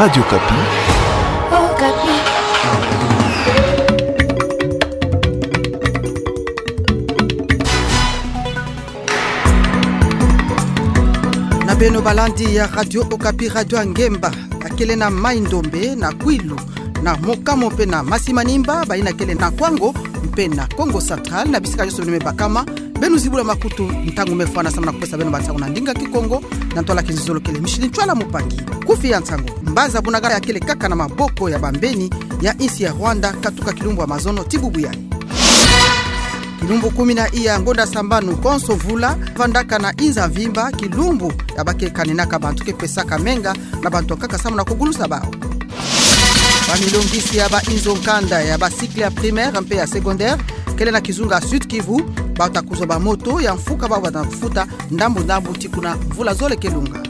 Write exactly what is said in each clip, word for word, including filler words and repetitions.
Radio Okapi. Okapi. Na beno balandi ya Radio Okapi, Radio ya Ngemba, ya kele na Mai-Ndombe, na Kwilu, na Mokamo mpe na Masi-Manimba, bayina kele na Kwango mpe na Kongo Central, na bisika nyonso beno me bakama, beno zibula makutu, ntangu me fwana samu na kupesa beno bansangu na ndinga Kikongo, na ntwala kinzizolo kele Micheline Ntwala Mupangi. Kufi ya nsangu. Mbanza Bunagana ya kele kaka na maboko ya bambeni ya insi ya Rwanda, katuka kilumbu ya mazono ti bubu yayi. Kilumbu kumi na iya ngonda sambanu konso mvula, vandaka na inza mvimba, kilumbu ya ba ke kaninaka bantu, ke pesaka menga na bantu nkaka samu na kugulusa bawu. Bamilongisi ya ba inzo nkanda ya ba cycle ya primaire mpe ya secondaire kele na kizunga Sud-Kivu, bata kuzwa ba moto ya mfuka, bawu bata futa ndambu ndambu tii kuna mvula zole ke lunga.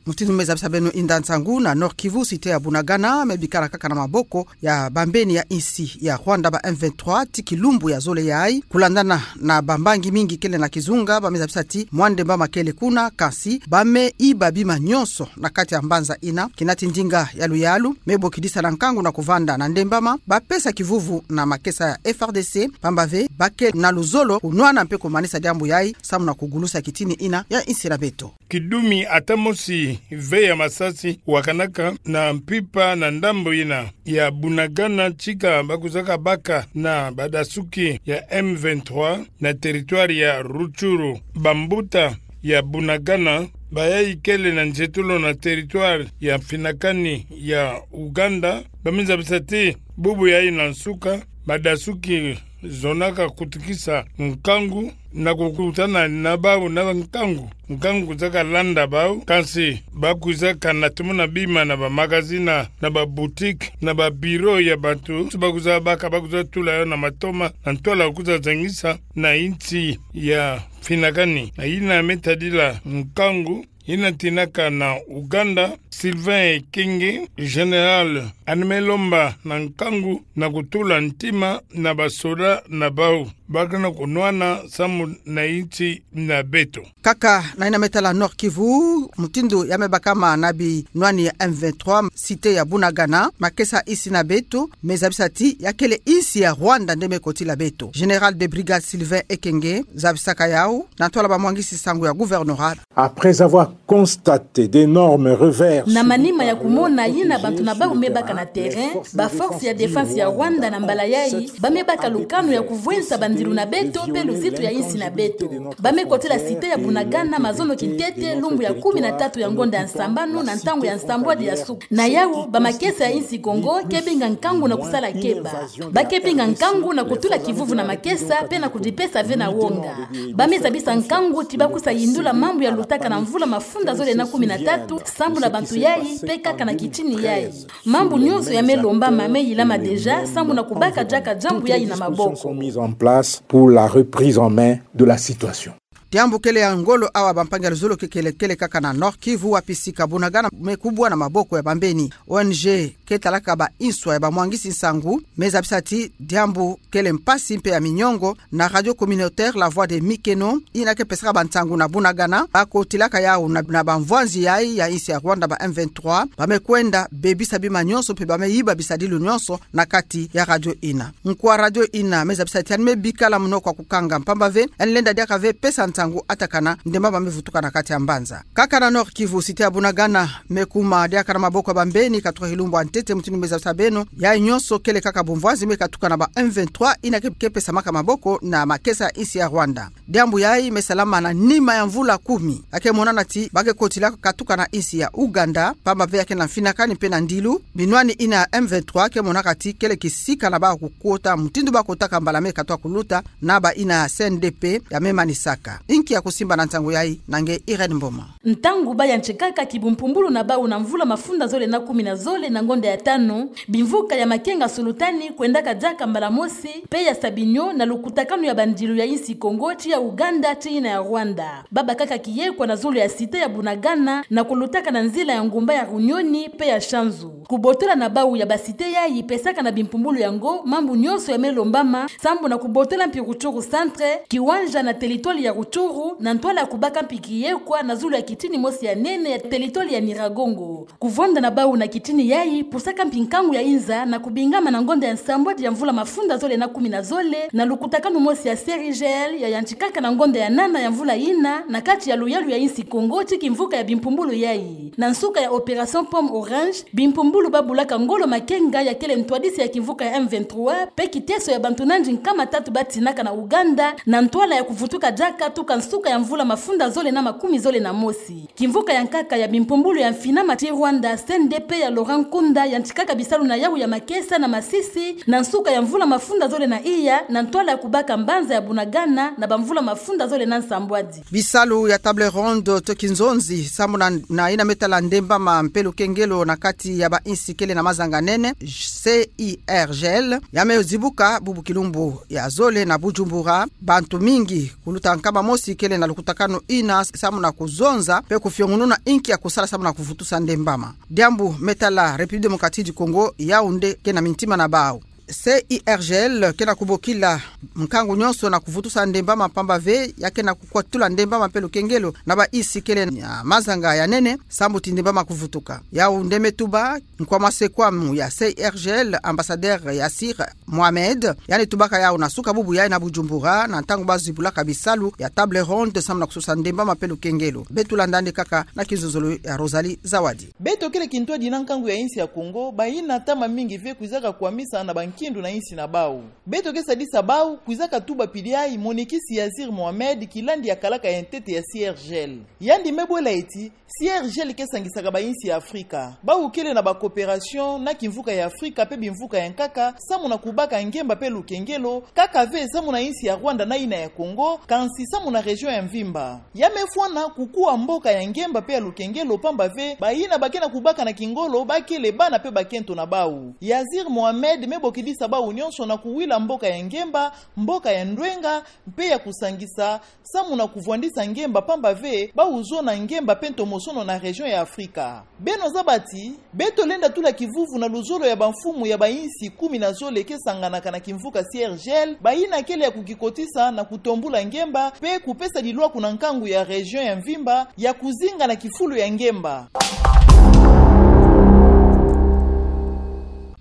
Mutindu me zabisa beno inda nsangu, na Nord-Kivu, cité ya Bunagana me bikala kaka na maboko ya bambeni ya insi ya Rwanda, ba M vingt-trois, tii kilumbu ya zole yayi, kulandana na bambangi mingi kele na kizunga, ba me zabisa tii mwa ndembama kele kuna, kansi ba me yiba bima nyonso na kati ya mbanza yina, kina tii ndinga ya luyalu me bokidisa na nkangu na kuvanda na ndembama, ba pesa kivuvu na makesa ya F R D C, pamba ve ba ke na luzolo kunwana mpe kumanisa diambu yayi samu na kugulusa kitini yina ya insi na beto. Kidumi ata mosi ve ya masasi wakanaka na mpimpa na ndambu yina ya Bunagana, tika ba kuzaka baka na badasuki ya M vingt-trois na territoire ya Rutshuru. Bambuta ya Bunagana, bayayi kele na nzietolo na territoire ya mfinakani ya Uganda, ba me zabisa tii bubu yayi na nsuka, badasuki zonaka kutukisa nkangu na kukutana na bawu na nkangu. Nkangu kuzaka landa bawu, kansi ba kuzaka natumuna bima na ba magazine, na ba boutique, na ba bureau ya bantu, ba kuzabaka, ba kuzatula yo na matoma, na ntwala kuzazangisa na insi ya mfinakani. Na yina me tadila nkangu yina tinaka na Uganda, Sylvain Ekenge, général, yandi me lomba na nkangu na kutula ntima na basoda na bawu, ba ke na kunwana samu na insi na beto. Kaka na yina me tala Nord-Kivu, mutindu ya me bakama na binwani ya M vingt-trois, cité ya Bunagana, makesa insi na beto me zabisa tii ya kele insi ya Rwanda nde me kotila beto. Général de brigade Sylvain Ekenge zabisaka yawu na ntwala bamwangisi nsangu ya gouvernorat. Après avoir constaté d'énormes revers. Na manima ya kumona yina bantu na bawu me baka na terrain, ba force ya défense ya Rwanda na mbala yayi ba me baka lukanu ya kuvwensa bandilu na beto mpe luzitu ya insi na beto. Ba me kotila cité ya Bunagana mazono kintete, lumbu ya kumi na tatu ya ngonda ya nsambanu, na ntangu ya nsambwadi ya suka. Na yawu, bamakesa ya insi Kongo ke binga nkangu na kusala keba. Ba ke binga nkangu na kutula kivuvu na makesa mpe na kudipesa ve na wonga. Ba me zabisa nkangu tii ba kusa yindula mambu ya lutaka na mvula mafunda zole na kumi na tatu sambu na bantu yayi mpe kaka na kitini yayi. Mambu nyonso ya me lombama me yilama déjà sambu na kubaka diaka diambu yayi na maboko. Sont mises en place pour la reprise en main de la situation. Diambu kele ya ngolo awa, bampangi ya luzolo, ke kele, kele kaka na Nord-Kivu, wapi sika Bunagana me kubwa na maboko ya bambeni. O N G ke talaka ba inswa ya bamwangisi nsangu me zabisa tii diambu kele mpasi mpe ya minyongo. Na radio communautaire La Voix de Mikeno, yina ke pesaka bansangu na Bunagana, ba kotilaka yawu na, na bamvwanzi yayi ya insi ya Rwanda, ba M vingt-trois, ba me kwenda bebisa bima nyonso mpe ba me yiba bisadilu nyonso na kati ya radio yina. Nkwa radio yina me zabisa tii yandi me bikala munoko ya kukanga, pamba ve yandi lenda diaka ve pesa nsangu atakana ndembama me vutuka na kati ya mbanza. Kaka na Nord-Kivu, cité ya Bunagana me kuma diaka na maboko ya bambeni katuka kilumbu ya ntete, mutindu me zabisa beno. Yayi nyonso kele kaka bumvwanzi me katuka na ba M vingt-trois, yina ke, ke pesamaka maboko na makesa ya insi ya Rwanda. Diambu yayi me salama na nima ya mvula kumi. Ya ke monana tii ba ke kotila katuka na insi ya Uganda, pamba ve ya ke na mfinakani mpe na ndilu. Binwani yina ya M vingt-trois ke monaka tii kele kisika na bawu kukota, mutindu ba kotaka mbala me katuka kuluta na bayina ya C N D P ya me manisaka. Inki ya kusimba na nsangu yayi? Na nge Irène Mboma. Ntangu ba yantikaka kibumpumbulu na bawu na mvula mafunda zole na kumi na zole na ngonda ya tanu, bimvuka ya makenga sulutani kwendaka diaka mbala mosi, mpe ya Sabinyo na lukutakanu ya bandilu ya insi Kongo tii ya Uganda tii yina ya Rwanda. Ba bakaka kiyekwa na zulu ya cité ya Bunagana na kulutaka na nzila ya ngumba ya Runyoni mpe ya Shanzu. Kubotola na bawu ya ba cité yayi pesaka na bimpumbulu yango mambu nyonso ya me lombama sambu na kubotola mpi Rutshuru centre, kiwanja na territoire ya Rutshuru Turu, na ntwala ya kubaka mpi kiyekwa na zulu ya kitini mosi ya nene ya telitwali ya Nyiragongo. Kuvwanda na bau na kitini yayi, pusaka mpi nkangu ya inza na kubingama na ngonda ya nsambwadi ya mvula mafunda zole na kumi na zole, na lukutakanu mosi ya C I R G L ya yantikaka na ngonda ya nana ya mvula yina, na kati ya luyalu ya insi Kongo, ti kimvuka ya bimpumbulu yayi. Na nsuka ya opération Pomme Orange, bimpumbulu babulaka ngolo makenga ya kele ntwadisi ya kimvuka ya M vingt-trois, pe kiteso ya bantu nandi nkama tatu batinaka na Ouganda, na ntwala ya kuvutuka diaka tuka nsuka ya mvula mafunda zole na makumi zole na mosi. Kimvuka ya nkaka ya bimpumbulu ya mfinama ti Rwanda, C N D P ya Laurent Nkunda, yantikaka bisalu na yawu ya makesa na Masisi, na nsuka ya mvula mafunda zole na iya, na ntwala ya kubaka mbanza ya Bunagana, na bamvula mafunda zole na nsambwadi. Bisalu ya table ronde to kinzonzi, samu na, na yina me tala ndembama mpe lukengelo na kati ya ba insi kele na mazanga nene, C I R G L, ya me zibuka bubu kilumbu ya zole na Bujumbura, bantu mingi kuluta nkama mosi kele na lukutakanu yina samu na kuzonza, pe kufiongununa inki ya kusala samu na kuvutusa ndembama. Diambu me tala République Démocratique du Congo, yawu nde ke na mintima na bau. C I R G L ke na kubokila nkangu nyonso na kuvutusa ndembama pamba ve, ya ke na kukwatula ndembama mpe lukengelo na ba insi kele na mazanga ya nene, samu ti ndembama kuvutuka. Yawu nde me tuba nkwa masekwamu ya C I R G L, ambassadeur Yassir Mohamed, yandi tubaka yawu na suka bubu yayi na Bujumbura, na ntangu bazibulaka bisalu ya table ronde samu na kusosa ndembama mpe lukengelo. Beto landa yandi kaka na kinzonzolo ya Rosalie Zawadi. Beto kele kintwadi na nkangu ya insi ya Kongo, bayina ntama mingi ve kwizaka kwamisa na bankindu na insi na bau. Beto ke sadisa bau, kwizaka tuba pili yayi monikisi Yassir Mohamed, kilandi ya kalaka ya ntete ya C I R G L. Yandi me bwela ti, C I R G L ke sangisaka ba insi ya Afrika. Bau kele na ba coopération na kimvuka ya Afrika mpe bimvuka ya nkaka, samu na kubaka ngemba mpe lukengelo, kaka ve samu na insi ya Rwanda na yina ya Kongo, kansi samu na région ya mvimba. Ya me fwana kukuwa mboka ya ngemba mpe ya lukengelo pamba ve, bayina ba ke na kubaka na kingolo, ba kele bana mpe bakento na bau. Yassir Mohamed me bokidisa bau nyonso na kuwila mboka ya ngemba, mboka ya ndwenga, mpe ya kusangisa, samu na kuvwandisa ngemba pamba ve, bau zona ngemba mpe ntomosono na région ya Afrika. Beno zaba ti, beto lenda tula kivuvu na luzolo ya bamfumu ya ba insi kumi na zole ke sanganaka na kimvuka C I R G L, bayina kele ya kukikotisa na kutombula ngemba, mpe kupesa dilwaku na nkangu ya région ya mvimba, ya kuzinga na kifulu ya ngemba.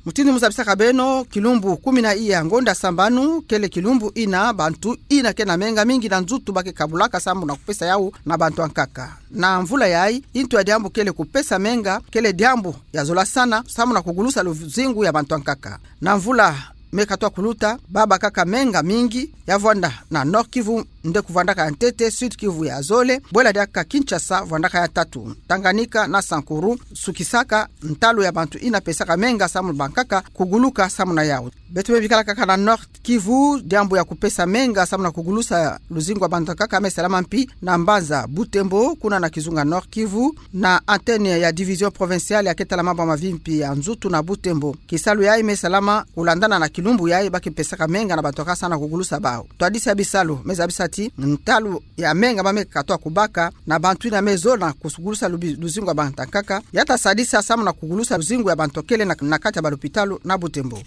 Mutindu muzabisaka beno, kilumbu kumi na iya ngonda sambanu, kele kilumbu yina, bantu yina ke na menga mingi na nzutu ba ke kabulaka samu na kupesa yawu na bantu ya nkaka. Na mvula yayi, ntu ya diambu kele kupesa menga, kele diambu ya zola sana, samu na kugulusa luzingu ya bantu ya nkaka. Na mvula me katwa kuluta, ba bakaka menga mingi, ya vwanda na Nord-Kivu nde kuvwandaka ya ntete, Sud-Kivu ya zole, bwela diaka Kinshasa vwandaka ya tatu, Tanganyika na Sankuru, sukisaka ntalu ya bantu yina pesaka menga samu bankaka kuguluka samu na yawu. Beto me bikala kaka na Nord-Kivu, diambu ya kupesa menga samu na kugulusa luzingu ya bantu ya nkaka me salama mpi na mbanza Butembo, kuna na kizunga Nord-Kivu, na antenne ya division provinciale ya ke tala mambu ya mavimpi ya nzutu na Butembo. Kisalu yayi me salama kulandana na kilumbu yayi ba ke pesaka menga na bantu ya nkaka samu na kugulusa bau. Ntwadisi ya bisalu me zabisa ti ntalu ya menga ba me katwa kubaka na bantu yina me zona kugulusa lubi-, luzingu ya bantu ya nkaka, ya ta sadisa samu na kugulusa luzingu ya bantu kele na, na kati ya balupitalu na Butembo.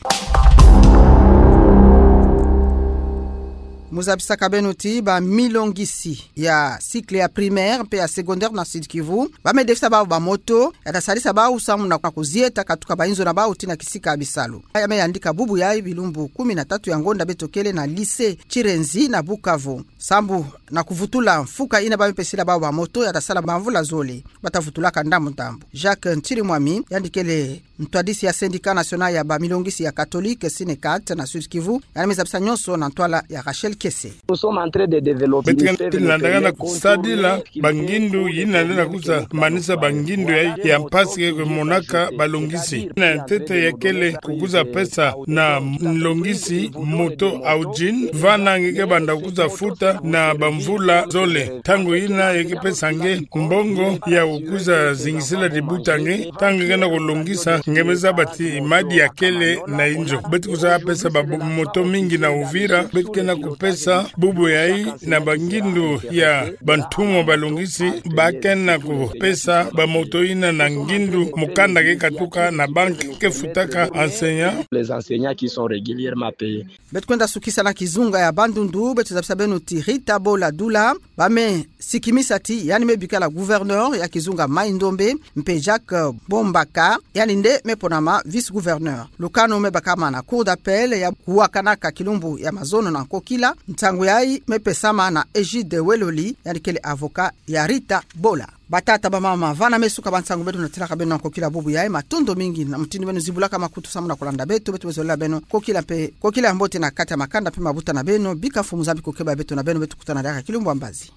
Muzabisaka beno ti bamilongisi ya cycle ya primaire mpe ya secondaire na Sud-Kivu, ba me defisa bau bamoto, ya ta sadisa bau samu na, na kuzieta katuka bayinzo na bau tii na kisika ya bisalu. Ya me yandika bubu yayi bilumbu kumi na tatu ya ngonda beto kele na lycée Chirenzi na Bukavu. Sambu na kuvutula mfuka yina ba me pesila bau bamoto, ya ta sala bamvula zole, ba ta vutulaka ndambu ndambu. Jacques Ntirimwami, yandi kele ntwadisi ya Syndicat National ya bamilongisi ya Catholique, Synecat, na Sud-Kivu, yandi me zabisa nyonso na ntwala ya Rachel Kese. Beto ke landakana kusadila bangindu yina lenda kuza manisa bangindu ya, ya mpasi ke monaka balongisi. Na ntete ya kele kukuza pesa na nlongisi moto Audin, vana nge ke banda kukuza futa na bamvula zole. Ntangu yina ya ke pesa nge mbongo ya kukuza zingisila dibuta nge, ntangu nge na kulongisa Nge me zaba ti madi ya kele na inzo. Beto kwiza pesa ba moto mingi na Uvira, beto ke na kupesa bubu yayi na bangindu ya bantumwa balungisi, ba ke na kupesa ba moto yina na ngindu, mukanda ke katuka na banque ke futaka enseignants. Les enseignants qui sont régulièrement payés. Beto kwenda sukisa na kizunga ya Bandundu, beto zabisa beno ti Rita Bola Dula, ba me sikimisa ti yandi me bikala gouverneur ya kizunga Mai-Ndombe, mpe Jacques Bombaka, yandi nde me ponama vice-gouverneur. Lukanu me bakama na Cour d'appel ya kuwakanaka kilumbu ya mazono na nkokila. Nsangu yayi me pesama na Egide Weloli, yandi kele avocat ya Rita Bola. Batata, bamama, vana me suka ba nsangu beto na telaka beno na nkokila bubu yayi. Matondo mingi na mutindu beno zibulaka makutu samu na kulanda beto. Beto bezolela beno nkokila mpe, nkokila ya mbote na kati ya makanda mpe mabuta na beno. Bika Mfumu Nzambi kukeba beto na beno. Beto kutana diaka kilumbu ya mbazi.